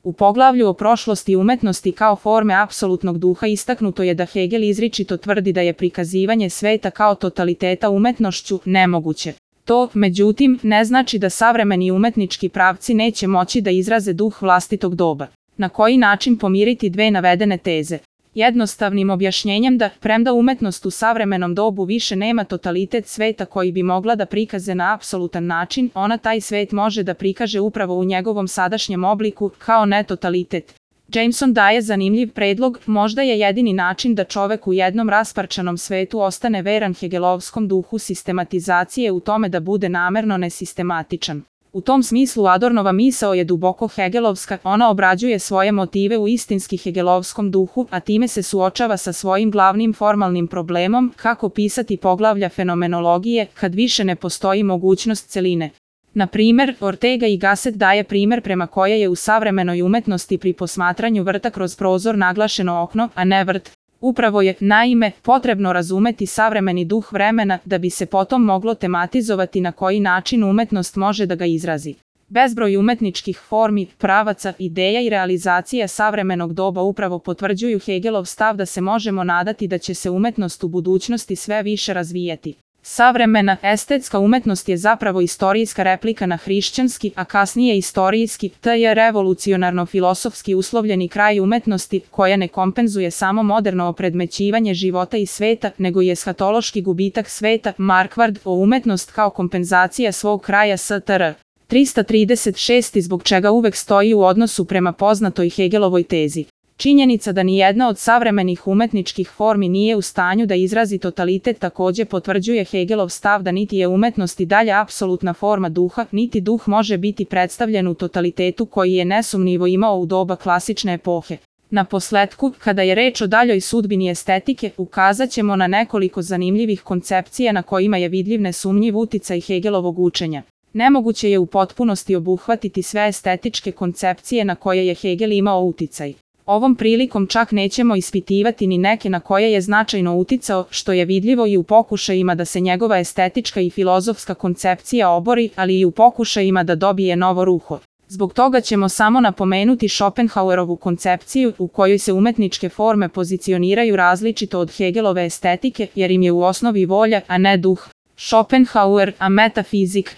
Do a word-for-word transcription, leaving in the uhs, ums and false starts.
U poglavlju o prošlosti umetnosti kao forme apsolutnog duha istaknuto je da Hegel izričito tvrdi da je prikazivanje sveta kao totaliteta umetnošću nemoguće. To, međutim, ne znači da savremeni umetnički pravci neće moći da izraze duh vlastitog doba. Na koji način pomiriti dve navedene teze? Jednostavnim objašnjenjem da, premda umetnost u savremenom dobu više nema totalitet sveta koji bi mogla da prikaze na apsolutan način, ona taj svet može da prikaže upravo u njegovom sadašnjem obliku, kao netotalitet. Jameson daje zanimljiv predlog, možda je jedini način da čovek u jednom rasparčanom svetu ostane veran hegelovskom duhu sistematizacije u tome da bude namerno nesistematičan. U tom smislu Adornova misao je duboko hegelovska, ona obrađuje svoje motive u istinski hegelovskom duhu, a time se suočava sa svojim glavnim formalnim problemom, kako pisati poglavlja fenomenologije, kad više ne postoji mogućnost celine. Na primer, Ortega y Gasset daje primer prema koje je u savremenoj umetnosti pri posmatranju vrta kroz prozor naglašeno okno, a ne vrt. Upravo je, naime, potrebno razumeti savremeni duh vremena da bi se potom moglo tematizovati na koji način umetnost može da ga izrazi. Bezbroj umetničkih formi, pravaca, ideja i realizacija savremenog doba upravo potvrđuju Hegelov stav da se možemo nadati da će se umetnost u budućnosti sve više razvijati. Savremena, estetska umetnost je zapravo istorijska replika na hrišćanski, a kasnije istorijski, te je revolucionarno-filosofski uslovljeni kraj umetnosti, koja ne kompenzuje samo moderno opredmećivanje života i sveta, nego je eshatološki gubitak sveta, Marquard, o umetnost kao kompenzacija svog kraja S T R. tristo trideset šest zbog čega uvek stoji u odnosu prema poznatoj Hegelovoj tezi. Činjenica da nijedna od savremenih umetničkih formi nije u stanju da izrazi totalitet takođe potvrđuje Hegelov stav da niti je umetnost i dalje apsolutna forma duha, niti duh može biti predstavljen u totalitetu koji je nesumnjivo imao u doba klasične epohe. Na posletku, kada je reč o daljoj sudbini estetike, ukazat ćemo na nekoliko zanimljivih koncepcija na kojima je vidljiv nesumnjiv uticaj Hegelovog učenja. Nemoguće je u potpunosti obuhvatiti sve estetičke koncepcije na koje je Hegel imao uticaj. Ovom prilikom čak nećemo ispitivati ni neke na koje je značajno uticao, što je vidljivo i u pokušajima da se njegova estetička i filozofska koncepcija obori, ali i u pokušajima da dobije novo ruho. Zbog toga ćemo samo napomenuti Schopenhauerovu koncepciju, u kojoj se umetničke forme pozicioniraju različito od Hegelove estetike, jer im je u osnovi volja, a ne duh. Schopenhauer, a metafizik.